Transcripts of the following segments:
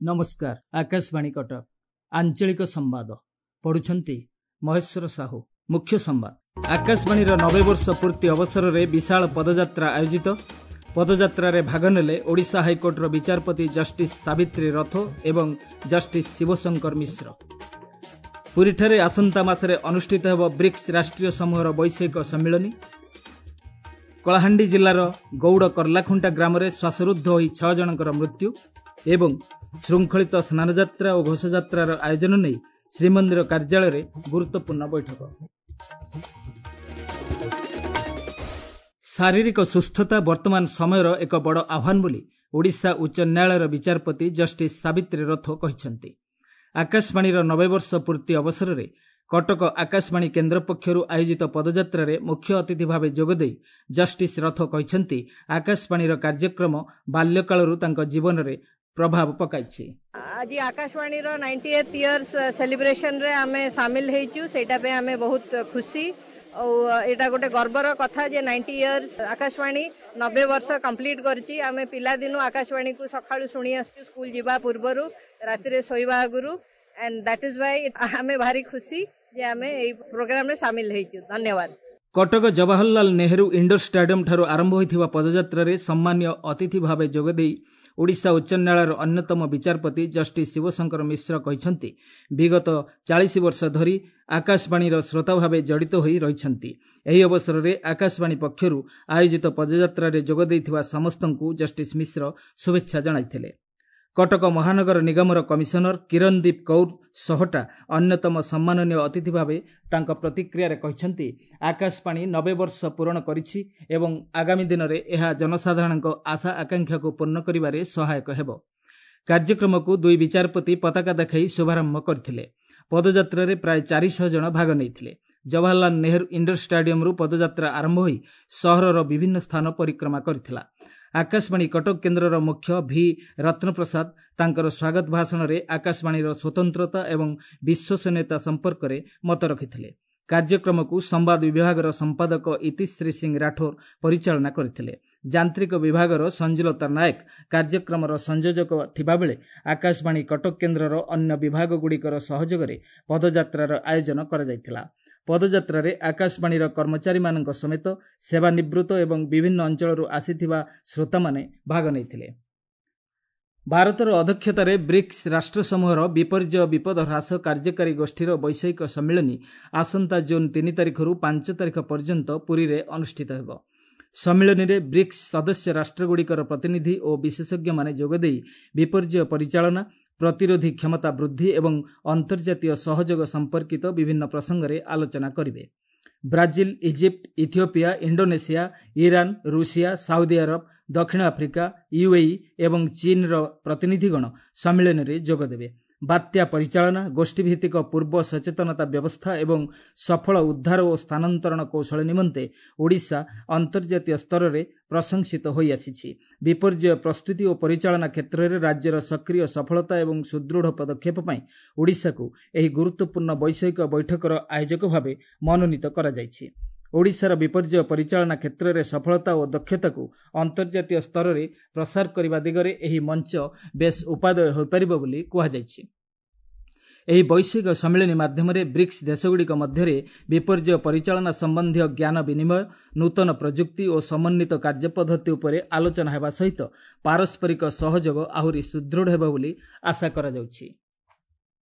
ନମସ୍କାର, ଆକାଶବାଣୀ କଟକ, ଆଞ୍ଚଳିକ ସମ୍ବାଦ ପଢୁଛନ୍ତି ମହେଶ୍ୱର ସାହୁ। ମୁଖ୍ୟ ସମ୍ବାଦ। ଆକାଶବାଣୀର 90 ବର୍ଷ ପୂର୍ତ୍ତି ଅବସରରେ ବିଶାଳ ପଦଯାତ୍ରା ଆୟୋଜିତ। ପଦଯାତ୍ରାରେ ଭାଗ ନେଲେ ଓଡ଼ିଶା ହାଇକୋର୍ଟର ବିଚାରପତି ଜଷ୍ଟିସ୍ ସାବିତ୍ରୀ ରଥ ଏବଂ ଜଷ୍ଟିସ୍ ଶିବଶଙ୍କର ମିଶ୍ର। ପୁରୀଠାରେ ଆସନ୍ତା ମାସରେ ଅନୁଷ୍ଠିତ ହେବ ବ୍ରିକ୍ସ ରାଷ୍ଟ୍ରୀୟ ସମୂହର ବୈଷୟିକ ସମ୍ମିଳନୀ। କଳାହାଣ୍ଡି ଜିଲ୍ଲାର ଗୌଡ଼ କର୍ଲାଖୁଣ୍ଟା ଗ୍ରାମରେ ଶ୍ୱାସରୁଦ୍ଧ ହୋଇ 6 ଜଣଙ୍କର ମୃତ୍ୟୁ ଏବଂ ଶୃଙ୍ଖଳିତ ସ୍ନାନଯାତ୍ରା ଓ ଘୋଷଯାତ୍ରାର ଆୟୋଜନ ନେଇ ଶ୍ରୀମନ୍ଦିର କାର୍ଯ୍ୟାଳୟରେ ଗୁରୁତ୍ୱପୂର୍ଣ୍ଣ ବୈଠକ। ଶାରୀରିକ ସୁସ୍ଥତା ବର୍ତ୍ତମାନ ସମୟର ଏକ ବଡ଼ ଆହ୍ୱାନ ବୋଲି ଓଡ଼ିଶା ଉଚ୍ଚ ନ୍ୟାୟାଳୟର ବିଚାରପତି ଜଷ୍ଟିସ୍ ସାବିତ୍ରୀ ରଥ କହିଛନ୍ତି। ଆକାଶବାଣୀର 90 ବର୍ଷ ପୂର୍ତ୍ତି ଅବସରରେ କଟକ ଆକାଶବାଣୀ କେନ୍ଦ୍ର ପକ୍ଷରୁ ଆୟୋଜିତ ପଦଯାତ୍ରାରେ ମୁଖ୍ୟ ଅତିଥି ଭାବେ ଯୋଗଦେଇ ଜଷ୍ଟିସ୍ ରଥ କହିଛନ୍ତି, ଆକାଶବାଣୀର କାର୍ଯ୍ୟକ୍ରମ ବାଲ୍ୟକାଳରୁ ତାଙ୍କ ଜୀବନରେ ପ୍ରଭାବ ପକାଇଛି। ଆଜି ଆକାଶବାଣୀର 90th years ସେଲିବ୍ରେସନରେ ଆମେ ସାମିଲ ହେଇଛୁ, ସେଇଟା ପାଇଁ ଆମେ ବହୁତ ଖୁସି। ଆଉ ଏଇଟା ଗୋଟେ ଗର୍ବର କଥା ଯେ 90 ଇୟର୍ସ ଆକାଶବାଣୀ 90 ବର୍ଷ କମ୍ପ୍ଲିଟ୍ କରିଛି। ଆମେ ପିଲାଦିନୁ ଆକାଶବାଣୀକୁ ସକାଳୁ ଶୁଣି ଆସୁଛୁ, ସ୍କୁଲ ଯିବା ପୂର୍ବରୁ, ରାତିରେ ଶୋଇବା ଆଗରୁ। ଆଣ୍ଡ that is Y ଆମେ ଭାରି ଖୁସି ଯେ ଆମେ ଏଇ ପ୍ରୋଗ୍ରାମରେ ସାମିଲ ହେଇଛୁ। ଧନ୍ୟବାଦ। କଟକ ଜବାହରଲାଲ ନେହେରୁ ଇଣ୍ଡୋର ଷ୍ଟାଡିୟମଠାରୁ ଆରମ୍ଭ ହୋଇଥିବା ପଦଯାତ୍ରାରେ ସମ୍ମାନୀୟ ଅତିଥି ଭାବେ ଯୋଗଦେଇ ଓଡ଼ିଶା ଉଚ୍ଚ ନ୍ୟାୟାଳୟର ଅନ୍ୟତମ ବିଚାରପତି ଜଷ୍ଟିସ୍ ଶିବଶଙ୍କର ମିଶ୍ର କହିଛନ୍ତି, ବିଗତ 40 ବର୍ଷ ଧରି ଆକାଶବାଣୀର ଶ୍ରୋତା ଭାବେ ଜଡ଼ିତ ହୋଇ ରହିଛନ୍ତି। ଏହି ଅବସରରେ ଆକାଶବାଣୀ ପକ୍ଷରୁ ଆୟୋଜିତ ପଦଯାତ୍ରାରେ ଯୋଗ ଦେଇଥିବା ସମସ୍ତଙ୍କୁ ଜଷ୍ଟିସ୍ ମିଶ୍ର ଶୁଭେଚ୍ଛା ଜଣାଇଥିଲେ। କଟକ ମହାନଗର ନିଗମର କମିଶନର କିରଣଦୀପ କୌର ସହଟା ଅନ୍ୟତମ ସମ୍ମାନନୀୟ ଅତିଥି ଭାବେ ତାଙ୍କ ପ୍ରତିକ୍ରିୟାରେ କହିଛନ୍ତି, ଆକାଶବାଣୀ 90 ବର୍ଷ ପୂରଣ କରିଛି ଏବଂ ଆଗାମୀ ଦିନରେ ଏହା ଜନସାଧାରଣଙ୍କ ଆଶା ଆକାଂକ୍ଷାକୁ ପୂର୍ଣ୍ଣ କରିବାରେ ସହାୟକ ହେବ। କାର୍ଯ୍ୟକ୍ରମକୁ ଦୁଇ ବିଚାରପତି ପତାକା ଦେଖାଇ ଶୁଭାରମ୍ଭ କରିଥିଲେ। ପଦଯାତ୍ରାରେ ପ୍ରାୟ 400 ଜଣ ଭାଗ ନେଇଥିଲେ। ଜବାହରଲାଲ ନେହେରୁ ଇଣ୍ଡୋର ଷ୍ଟାଡିୟମରୁ ପଦଯାତ୍ରା ଆରମ୍ଭ ହୋଇ ସହରର ବିଭିନ୍ନ ସ୍ଥାନ ପରିକ୍ରମା କରିଥିଲା। ଆକାଶବାଣୀ କଟକ କେନ୍ଦ୍ରର ମୁଖ୍ୟ ଭି ରତ୍ନପ୍ରସାଦ ତାଙ୍କର ସ୍ୱାଗତ ଭାଷଣରେ ଆକାଶବାଣୀର ସ୍ୱତନ୍ତ୍ରତା ଏବଂ ବିଶ୍ୱସନୀୟତା ସମ୍ପର୍କରେ ମତ ରଖିଥିଲେ। କାର୍ଯ୍ୟକ୍ରମକୁ ସମ୍ବାଦ ବିଭାଗର ସମ୍ପାଦକ ଇତିଶ୍ରୀ ସିଂ ରାଠୋର ପରିଚାଳନା କରିଥିଲେ। ଯାନ୍ତ୍ରିକ ବିଭାଗର ସଞ୍ଜୁଲତା ନାୟକ କାର୍ଯ୍ୟକ୍ରମର ସଂଯୋଜକ ଥିବାବେଳେ ଆକାଶବାଣୀ କଟକ କେନ୍ଦ୍ରର ଅନ୍ୟ ବିଭାଗଗୁଡ଼ିକର ସହଯୋଗରେ ପଦଯାତ୍ରାର ଆୟୋଜନ କରାଯାଇଥିଲା। ପଦଯାତ୍ରାରେ ଆକାଶବାଣୀର କର୍ମଚାରୀମାନଙ୍କ ସମେତ ସେବାନିବୃତ୍ତ ଏବଂ ବିଭିନ୍ନ ଅଞ୍ଚଳରୁ ଆସିଥିବା ଶ୍ରୋତାମାନେ ଭାଗ ନେଇଥିଲେ। ଭାରତର ଅଧ୍ୟକ୍ଷତାରେ ବ୍ରିକ୍ସ ରାଷ୍ଟ୍ରସମୂହର ବିପର୍ଯ୍ୟୟ ବିପଦ ହ୍ରାସ କାର୍ଯ୍ୟକାରୀ ଗୋଷ୍ଠୀର ବୈଷୟିକ ସମ୍ମିଳନୀ ଆସନ୍ତା ଜୁନ୍ 3 ତାରିଖରୁ 5 ତାରିଖ ପର୍ଯ୍ୟନ୍ତ ପୁରୀରେ ଅନୁଷ୍ଠିତ ହେବ। ସମ୍ମିଳନୀରେ ବ୍ରିକ୍ସ ସଦସ୍ୟ ରାଷ୍ଟ୍ରଗୁଡ଼ିକର ପ୍ରତିନିଧି ଓ ବିଶେଷଜ୍ଞମାନେ ଯୋଗଦେଇ ବିପର୍ଯ୍ୟୟ ପରିଚାଳନା, ପ୍ରତିରୋଧୀ କ୍ଷମତା ବୃଦ୍ଧି ଏବଂ ଅନ୍ତର୍ଜାତୀୟ ସହଯୋଗ ସମ୍ପର୍କିତ ବିଭିନ୍ନ ପ୍ରସଙ୍ଗରେ ଆଲୋଚନା କରିବେ। Brazil, Egypt, Ethiopia, Indonesia, Iran, Russia, Saudi Arab, ଦକ୍ଷିଣ ଆଫ୍ରିକା, ୟୁଏଇ ଏବଂ ଚୀନ୍ର ପ୍ରତିନିଧିଗଣ ସମ୍ମିଳନୀରେ ଯୋଗଦେବେ। ବାତ୍ୟା ପରିଚାଳନା, ଗୋଷ୍ଠୀଭିତ୍ତିକ ପୂର୍ବ ସଚେତନତା ବ୍ୟବସ୍ଥା ଏବଂ ସଫଳ ଉଦ୍ଧାର ଓ ସ୍ଥାନାନ୍ତରଣ କୌଶଳ ନିମନ୍ତେ ଓଡ଼ିଶା ଅନ୍ତର୍ଜାତୀୟ ସ୍ତରରେ ପ୍ରଶଂସିତ ହୋଇଆସିଛି। ବିପର୍ଯ୍ୟୟ ପ୍ରସ୍ତୁତି ଓ ପରିଚାଳନା କ୍ଷେତ୍ରରେ ରାଜ୍ୟର ସକ୍ରିୟ ସଫଳତା ଏବଂ ସୁଦୃଢ଼ ପଦକ୍ଷେପ ପାଇଁ ଓଡ଼ିଶାକୁ ଏହି ଗୁରୁତ୍ୱପୂର୍ଣ୍ଣ ବୈଷୟିକ ବୈଠକର ଆୟୋଜକ ଭାବେ ମନୋନୀତ କରାଯାଇଛି। ଓଡ଼ିଶାର ବିପର୍ଯ୍ୟୟ ପରିଚାଳନା କ୍ଷେତ୍ରରେ ସଫଳତା ଓ ଦକ୍ଷତାକୁ ଅନ୍ତର୍ଜାତୀୟ ସ୍ତରରେ ପ୍ରସାର କରିବା ଦିଗରେ ଏହି ମଞ୍ଚ ବେଶ୍ ଉପାଦେୟ ହୋଇପାରିବ ବୋଲି କୁହାଯାଇଛି। ଏହି ବୈଷୟିକ ସମ୍ମିଳନୀ ମାଧ୍ୟମରେ ବ୍ରିକ୍ସ ଦେଶଗୁଡ଼ିକ ମଧ୍ୟରେ ବିପର୍ଯ୍ୟୟ ପରିଚାଳନା ସମ୍ବନ୍ଧୀୟ ଜ୍ଞାନ ବିନିମୟ, ନୂତନ ପ୍ରଯୁକ୍ତି ଓ ସମନ୍ୱିତ କାର୍ଯ୍ୟପଦ୍ଧତି ଉପରେ ଆଲୋଚନା ହେବା ସହିତ ପାରସ୍ପରିକ ସହଯୋଗ ଆହୁରି ସୁଦୃଢ଼ ହେବ ବୋଲି ଆଶା କରାଯାଉଛି।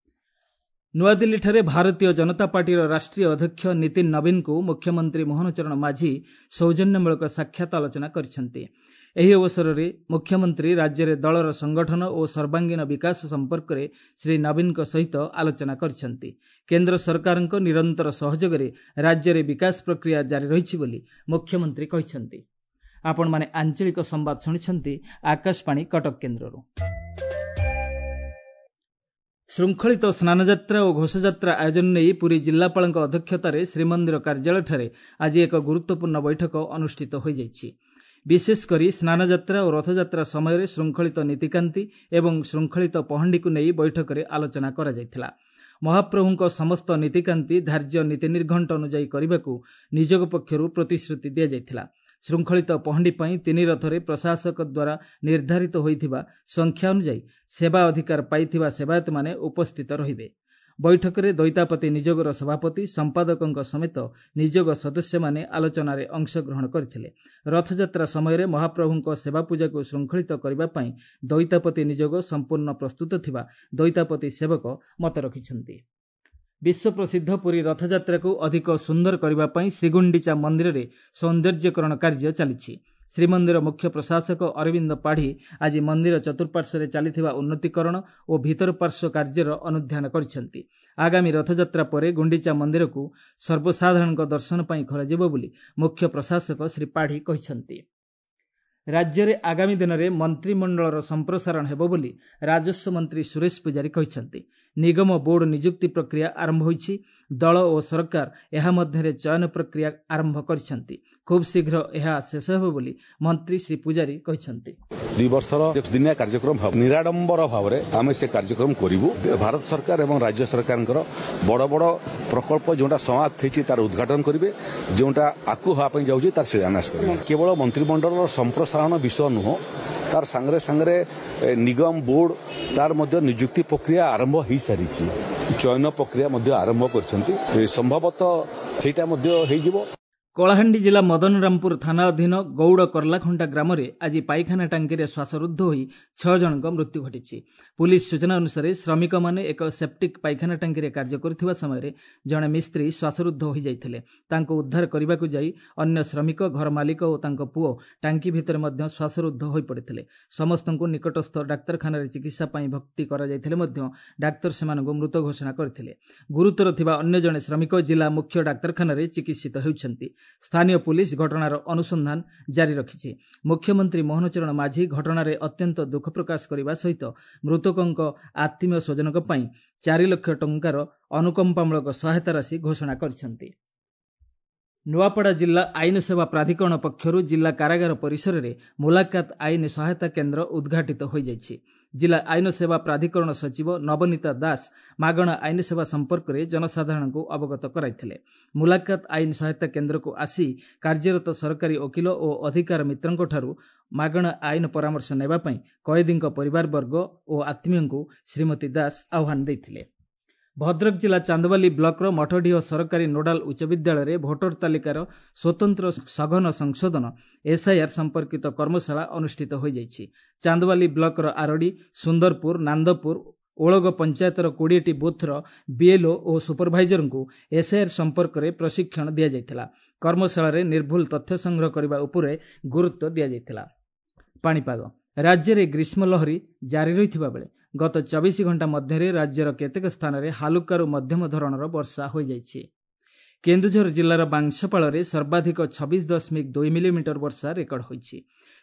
ନୂଆଦିଲ୍ଲୀଠାରେ ଭାରତୀୟ ଜନତା ପାର୍ଟିର ରାଷ୍ଟ୍ରୀୟ ଅଧ୍ୟକ୍ଷ ନୀତିନ ନବୀନଙ୍କୁ ମୁଖ୍ୟମନ୍ତ୍ରୀ ମୋହନ ଚରଣ ମାଝୀ ସୌଜନ୍ୟମୂଳକ ସାକ୍ଷାତ ଆଲୋଚନା କରିଛନ୍ତି। ଏହି ଅବସରରେ ମୁଖ୍ୟମନ୍ତ୍ରୀ ରାଜ୍ୟରେ ଦଳର ସଂଗଠନ ଓ ସର୍ବାଙ୍ଗୀନ ବିକାଶ ସମ୍ପର୍କରେ ଶ୍ରୀ ନବୀନଙ୍କ ସହିତ ଆଲୋଚନା କରିଛନ୍ତି। କେନ୍ଦ୍ର ସରକାରଙ୍କ ନିରନ୍ତର ସହଯୋଗରେ ରାଜ୍ୟରେ ବିକାଶ ପ୍ରକ୍ରିୟା ଜାରି ରହିଛି ବୋଲି ମୁଖ୍ୟମନ୍ତ୍ରୀ କହିଛନ୍ତି। ଆପଣମାନେ ଆଞ୍ଚଳିକ ସମ୍ବାଦ ଶୁଣିଛନ୍ତି ଆକାଶବାଣୀ କଟକ କେନ୍ଦ୍ରରୁ। ଶୃଙ୍ଖଳିତ ସ୍ନାନଯାତ୍ରା ଓ ଘୋଷଯାତ୍ରା ଆୟୋଜନ ନେଇ ପୁରୀ ଜିଲ୍ଲାପାଳଙ୍କ ଅଧ୍ୟକ୍ଷତାରେ ଶ୍ରୀମନ୍ଦିର କାର୍ଯ୍ୟାଳୟଠାରେ ଆଜି ଏକ ଗୁରୁତ୍ୱପୂର୍ଣ୍ଣ ବୈଠକ ଅନୁଷ୍ଠିତ ହୋଇଯାଇଛି। ବିଶେଷ କରି ସ୍ନାନଯାତ୍ରା ଓ ରଥଯାତ୍ରା ସମୟରେ ଶୃଙ୍ଖଳିତ ନୀତିକାନ୍ତି ଏବଂ ଶୃଙ୍ଖଳିତ ପହଣ୍ଡିକୁ ନେଇ ବୈଠକରେ ଆଲୋଚନା କରାଯାଇଥିଲା। ମହାପ୍ରଭୁଙ୍କ ସମସ୍ତ ନୀତିକାନ୍ତି ଧାର୍ଯ୍ୟ ନୀତି ନିର୍ଘଣ୍ଟ ଅନୁଯାୟୀ କରିବାକୁ ନିଯୋଗ ପକ୍ଷରୁ ପ୍ରତିଶ୍ରୁତି ଦିଆଯାଇଥିଲା। ଶୃଙ୍ଖଳିତ ପହଣ୍ଡି ପାଇଁ ତିନି ରଥରେ ପ୍ରଶାସକ ଦ୍ୱାରା ନିର୍ଦ୍ଧାରିତ ହୋଇଥିବା ସଂଖ୍ୟା ଅନୁଯାୟୀ ସେବା ଅଧିକାର ପାଇଥିବା ସେବାୟତମାନେ ଉପସ୍ଥିତ ରହିବେ। ବୈଠକରେ ଦଇତାପତି ନିଯୋଗର ସଭାପତି, ସମ୍ପାଦକଙ୍କ ସମେତ ନିଯୋଗ ସଦସ୍ୟମାନେ ଆଲୋଚନାରେ ଅଂଶଗ୍ରହଣ କରିଥିଲେ। ରଥଯାତ୍ରା ସମୟରେ ମହାପ୍ରଭୁଙ୍କ ସେବାପୂଜାକୁ ଶୃଙ୍ଖଳିତ କରିବା ପାଇଁ ଦଇତାପତି ନିଯୋଗ ସମ୍ପୂର୍ଣ୍ଣ ପ୍ରସ୍ତୁତ ଥିବା ଦଇତାପତି ସେବକ ମତ ରଖିଛନ୍ତି। ବିଶ୍ୱପ୍ରସିଦ୍ଧ ପୁରୀ ରଥଯାତ୍ରାକୁ ଅଧିକ ସୁନ୍ଦର କରିବା ପାଇଁ ଶ୍ରୀଗୁଣ୍ଡିଚା ମନ୍ଦିରରେ ସୌନ୍ଦର୍ଯ୍ୟକରଣ କାର୍ଯ୍ୟ ଚାଲିଛି। ଶ୍ରୀମନ୍ଦିର ମୁଖ୍ୟ ପ୍ରଶାସକ ଅରବିନ୍ଦ ପାଢ଼ୀ ଆଜି ମନ୍ଦିର ଚତୁଃପାର୍ଶ୍ୱରେ ଚାଲିଥିବା ଉନ୍ନତିକରଣ ଓ ଭିତର ପାର୍ଶ୍ୱ କାର୍ଯ୍ୟର ଅନୁଧ୍ୟାନ କରିଛନ୍ତି। ଆଗାମୀ ରଥଯାତ୍ରା ପରେ ଗୁଣ୍ଡିଚା ମନ୍ଦିରକୁ ସର୍ବସାଧାରଣଙ୍କ ଦର୍ଶନ ପାଇଁ ଖୋଲାଯିବ ବୋଲି ମୁଖ୍ୟ ପ୍ରଶାସକ ଶ୍ରୀ ପାଢ଼ୀ କହିଛନ୍ତି। ରାଜ୍ୟରେ ଆଗାମୀ ଦିନରେ ମନ୍ତ୍ରିମଣ୍ଡଳର ସମ୍ପ୍ରସାରଣ ହେବ ବୋଲି ରାଜସ୍ୱ ମନ୍ତ୍ରୀ ସୁରେଶ ପୂଜାରୀ କହିଛନ୍ତି। ନିଗମ ବୋର୍ଡ ନିଯୁକ୍ତି ପ୍ରକ୍ରିୟା ଆରମ୍ଭ ହୋଇଛି। ଦଳ ଓ ସରକାର ଏହା ମଧ୍ୟରେ ଚୟନ ପ୍ରକ୍ରିୟା ଆରମ୍ଭ କରିଛନ୍ତି। ଖୁବ୍ ଶୀଘ୍ର ଏହା ଶେଷ ହେବ ବୋଲି ମନ୍ତ୍ରୀ ଶ୍ରୀ ପୂଜାରୀ କହିଛନ୍ତି। 2 ବର୍ଷର ଦିନିଆ କାର୍ଯ୍ୟକ୍ରମ ନିରାଡମ୍ବର ଭାବରେ ଆମେ ସେ କାର୍ଯ୍ୟକ୍ରମ କରିବୁ। ଭାରତ ସରକାର ଏବଂ ରାଜ୍ୟ ସରକାରଙ୍କର ବଡ଼ ବଡ଼ ପ୍ରକଳ୍ପ ଯେଉଁଟା ସମାପ୍ତ ହେଇଛି ତାର ଉଦ୍ଘାଟନ କରିବେ, ଯେଉଁଟା ଆଗକୁ ହେବା ପାଇଁ ଯାଉଛି ତାର ଶିଳାନ୍ୟାସ କରିବେ। କେବଳ ମନ୍ତ୍ରିମଣ୍ଡଳର ସମ୍ପ୍ରସାରଣ ବିଷୟ ନୁହଁ, ତାର ସାଙ୍ଗରେ ସାଙ୍ଗରେ ନିଗମ ବୋର୍ଡ ତାର ମଧ୍ୟ ନିଯୁକ୍ତି ପ୍ରକ୍ରିୟା ଆରମ୍ଭ ହେଇସାରିଛି, ଚୟନ ପ୍ରକ୍ରିୟା ମଧ୍ୟ ଆରମ୍ଭ କରିଛନ୍ତି, ସମ୍ଭବତଃ ସେଇଟା ମଧ୍ୟ ହେଇଯିବ। କଳାହାଣ୍ଡି ଜିଲ୍ଲା ମଦନରାମପୁର ଥାନା ଅଧୀନ ଗୌଡ଼ କର୍ଲାଖଣ୍ଟା ଗ୍ରାମରେ ଆଜି ପାଇଖାନା ଟାଙ୍କିରେ ଶ୍ୱାସରୁଦ୍ଧ ହୋଇ 6 ଜଣଙ୍କ ମୃତ୍ୟୁ ଘଟିଛି। ପୁଲିସ ସୂଚନା ଅନୁସାରେ ଶ୍ରମିକମାନେ ଏକ ସେପ୍ଟିକ୍ ପାଇଖାନା ଟାଙ୍କିରେ କାର୍ଯ୍ୟ କରୁଥିବା ସମୟରେ ଜଣେ ମିସ୍ତ୍ରୀ ଶ୍ୱାସରୁଦ୍ଧ ହୋଇଯାଇଥିଲେ। ତାଙ୍କୁ ଉଦ୍ଧାର କରିବାକୁ ଯାଇ ଅନ୍ୟ ଶ୍ରମିକ, ଘର ମାଲିକ ଓ ତାଙ୍କ ପୁଅ ଟାଙ୍କି ଭିତରେ ମଧ୍ୟ ଶ୍ୱାସରୁଦ୍ଧ ହୋଇପଡ଼ିଥିଲେ। ସମସ୍ତଙ୍କୁ ନିକଟସ୍ଥ ଡାକ୍ତରଖାନାରେ ଚିକିତ୍ସା ପାଇଁ ଭର୍ତ୍ତି କରାଯାଇଥିଲେ ମଧ୍ୟ ଡାକ୍ତର ସେମାନଙ୍କୁ ମୃତ ଘୋଷଣା କରିଥିଲେ। ଗୁରୁତର ଥିବା ଅନ୍ୟ ଜଣେ ଶ୍ରମିକ ଜିଲ୍ଲା ମୁଖ୍ୟ ଡାକ୍ତରଖାନାରେ ଚିକିତ୍ସିତ ହେଉଛନ୍ତି। ସ୍ଥାନୀୟ ପୁଲିସ ଘଟଣାର ଅନୁସନ୍ଧାନ ଜାରି ରଖିଛି। ମୁଖ୍ୟମନ୍ତ୍ରୀ ମୋହନ ଚରଣ ମାଝୀ ଘଟଣାରେ ଅତ୍ୟନ୍ତ ଦୁଃଖ ପ୍ରକାଶ କରିବା ସହିତ ମୃତକଙ୍କ ଆତ୍ମୀୟ ସ୍ୱଜନଙ୍କ ପାଇଁ 4 ଲକ୍ଷ ଟଙ୍କାର ଅନୁକମ୍ପାମୂଳକ ସହାୟତା ରାଶି ଘୋଷଣା କରିଛନ୍ତି। ନୂଆପଡ଼ା ଜିଲ୍ଲା ଆଇନ ସେବା ପ୍ରାଧିକରଣ ପକ୍ଷରୁ ଜିଲ୍ଲା କାରାଗାର ପରିସରରେ ମୁଲାକାତ ଆଇନ ସହାୟତା କେନ୍ଦ୍ର ଉଦ୍ଘାଟିତ ହୋଇଯାଇଛି। ଜିଲ୍ଲା ଆଇନ ସେବା ପ୍ରାଧିକରଣ ସଚିବ ନବନୀତା ଦାସ ମାଗଣା ଆଇନ ସେବା ସମ୍ପର୍କରେ ଜନସାଧାରଣଙ୍କୁ ଅବଗତ କରାଇଥିଲେ। ମୁଲାକାତ ଆଇନ ସହାୟତା କେନ୍ଦ୍ରକୁ ଆସି କାର୍ଯ୍ୟରତ ସରକାରୀ ଓକିଲ ଓ ଅଧିକାର ମିତ୍ରଙ୍କଠାରୁ ମାଗଣା ଆଇନ ପରାମର୍ଶ ନେବା ପାଇଁ କଏଦୀଙ୍କ ପରିବାରବର୍ଗ ଓ ଆତ୍ମୀୟଙ୍କୁ ଶ୍ରୀମତୀ ଦାସ ଆହ୍ୱାନ ଦେଇଥିଲେ। ଭଦ୍ରକ ଜିଲ୍ଲା ଚାନ୍ଦବାଲି ବ୍ଲକର ମଠଡିହ ସରକାରୀ ନୋଡାଲ ଉଚ୍ଚ ବିଦ୍ୟାଳୟରେ ଭୋଟର ତାଲିକାର ସ୍ୱତନ୍ତ୍ର ସଘନ ସଂଶୋଧନ ଏସ୍ଆଇଆର୍ ସମ୍ପର୍କିତ କର୍ମଶାଳା ଅନୁଷ୍ଠିତ ହୋଇଯାଇଛି। ଚାନ୍ଦବାଲି ବ୍ଲକର ଆରଡ଼ି, ସୁନ୍ଦରପୁର, ନାନ୍ଦପୁର, ଓଳଗ ପଞ୍ଚାୟତର 20ଟି ବୁଥ୍ର ବିଏଲ୍ଓ ଓ ସୁପରଭାଇଜରଙ୍କୁ ଏସ୍ଆଇଆର୍ ସମ୍ପର୍କରେ ପ୍ରଶିକ୍ଷଣ ଦିଆଯାଇଥିଲା। କର୍ମଶାଳାରେ ନିର୍ଭୁଲ ତଥ୍ୟ ସଂଗ୍ରହ କରିବା ଉପରେ ଗୁରୁତ୍ୱ ଦିଆଯାଇଥିଲା। ପାଣିପାଗ। ରାଜ୍ୟରେ ଗ୍ରୀଷ୍ମ ଲହରୀ ଜାରି ରହିଥିବା ବେଳେ ଗତ 24 ଘଣ୍ଟା ମଧ୍ୟରେ ରାଜ୍ୟର କେତେକ ସ୍ଥାନରେ ହାଲୁକାରୁ ମଧ୍ୟମ ଧରଣର ବର୍ଷା ହୋଇଯାଇଛି। କେନ୍ଦୁଝର ଜିଲ୍ଲାର ବାଂଶପାଳରେ ସର୍ବାଧିକ 26.2 ମିଲିମିଟର ବର୍ଷା ରେକର୍ଡ ହୋଇଛି।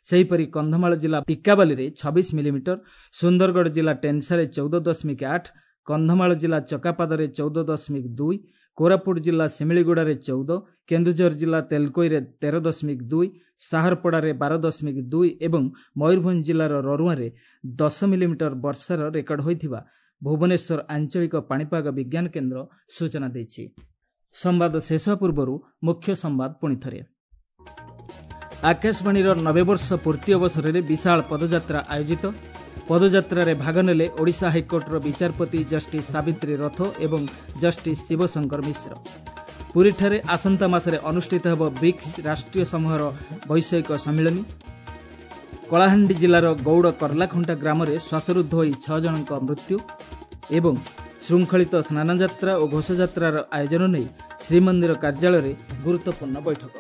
ସେହିପରି କନ୍ଧମାଳ ଜିଲ୍ଲା ଟିକାବାଲିରେ 26 ମିଲିମିଟର, ସୁନ୍ଦରଗଡ଼ ଜିଲ୍ଲା ଟେନ୍ସାରେ 14.8, କନ୍ଧମାଳ ଜିଲ୍ଲା ଚକାପାଦରେ 14.2, କୋରାପୁଟ ଜିଲ୍ଲା ଶିମିଳିଗୁଡ଼ାରେ 14, କେନ୍ଦୁଝର ଜିଲ୍ଲା ତେଲକୋଇରେ 13.2, ସାହରପଡ଼ାରେ 12.2 ଏବଂ ମୟୂରଭଞ୍ଜ ଜିଲ୍ଲାର ରରୁଆଁରେ 10 ମିଲିମିଟର ବର୍ଷାର ରେକର୍ଡ ହୋଇଥିବା ଭୁବନେଶ୍ୱର ଆଞ୍ଚଳିକ ପାଣିପାଗ ବିଜ୍ଞାନ କେନ୍ଦ୍ର ସୂଚନା ଦେଇଛି। ସମ୍ବାଦ ଶେଷ ପୂର୍ବରୁ ମୁଖ୍ୟ ସମ୍ବାଦ ପୁଣିଥରେ। ଆକାଶବାଣୀର 90 ବର୍ଷ ପୂର୍ତ୍ତି ଅବସରରେ ବିଶାଳ ପଦଯାତ୍ରା ଆୟୋଜିତ। ପଦଯାତ୍ରାରେ ଭାଗ ନେଲେ ଓଡ଼ିଶା ହାଇକୋର୍ଟର ବିଚାରପତି ଜଷ୍ଟିସ୍ ସାବିତ୍ରୀ ରଥ ଏବଂ ଜଷ୍ଟିସ୍ ଶିବଶଙ୍କର ମିଶ୍ର। ପୁରୀଠାରେ ଆସନ୍ତା ମାସରେ ଅନୁଷ୍ଠିତ ହେବ ବ୍ରିକ୍ସ ରାଷ୍ଟ୍ରୀୟ ସମୂହର ବୈଷୟିକ ସମ୍ମିଳନୀ। କଳାହାଣ୍ଡି ଜିଲ୍ଲାର ଗୌଡ଼ କର୍ଲାଖୁଣ୍ଟା ଗ୍ରାମରେ ଶ୍ୱାସରୁଦ୍ଧ ହୋଇ 6 ଜଣଙ୍କ ମୃତ୍ୟୁ ଏବଂ ଶୃଙ୍ଖଳିତ ସ୍ନାନଯାତ୍ରା ଓ ଘୋଷଯାତ୍ରାର ଆୟୋଜନ ନେଇ ଶ୍ରୀମନ୍ଦିର କାର୍ଯ୍ୟାଳୟରେ ଗୁରୁତ୍ୱପୂର୍ଣ୍ଣ ବୈଠକ।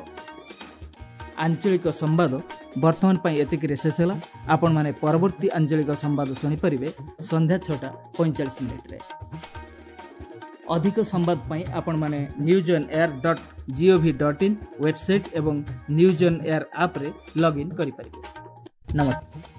ଆଞ୍ଚଳିକ ସମ୍ବାଦ ବର୍ତ୍ତମାନ ପାଇଁ ଏତିକିରେ ଶେଷ ହେଲା। ଆପଣମାନେ ପରବର୍ତ୍ତୀ ଆଞ୍ଚଳିକ ସମ୍ବାଦ ଶୁଣିପାରିବେ ସନ୍ଧ୍ୟା 6:45। ଅଧିକ ସମ୍ବାଦ ପାଇଁ ଆପଣମାନେ newsonair.gov.in website ଏବଂ ନ୍ୟୁଜ୍ ଅନ୍ ଏୟାର ଆପ୍ରେ ଲଗ୍ଇନ୍ କରିପାରିବେ। ନମସ୍କାର।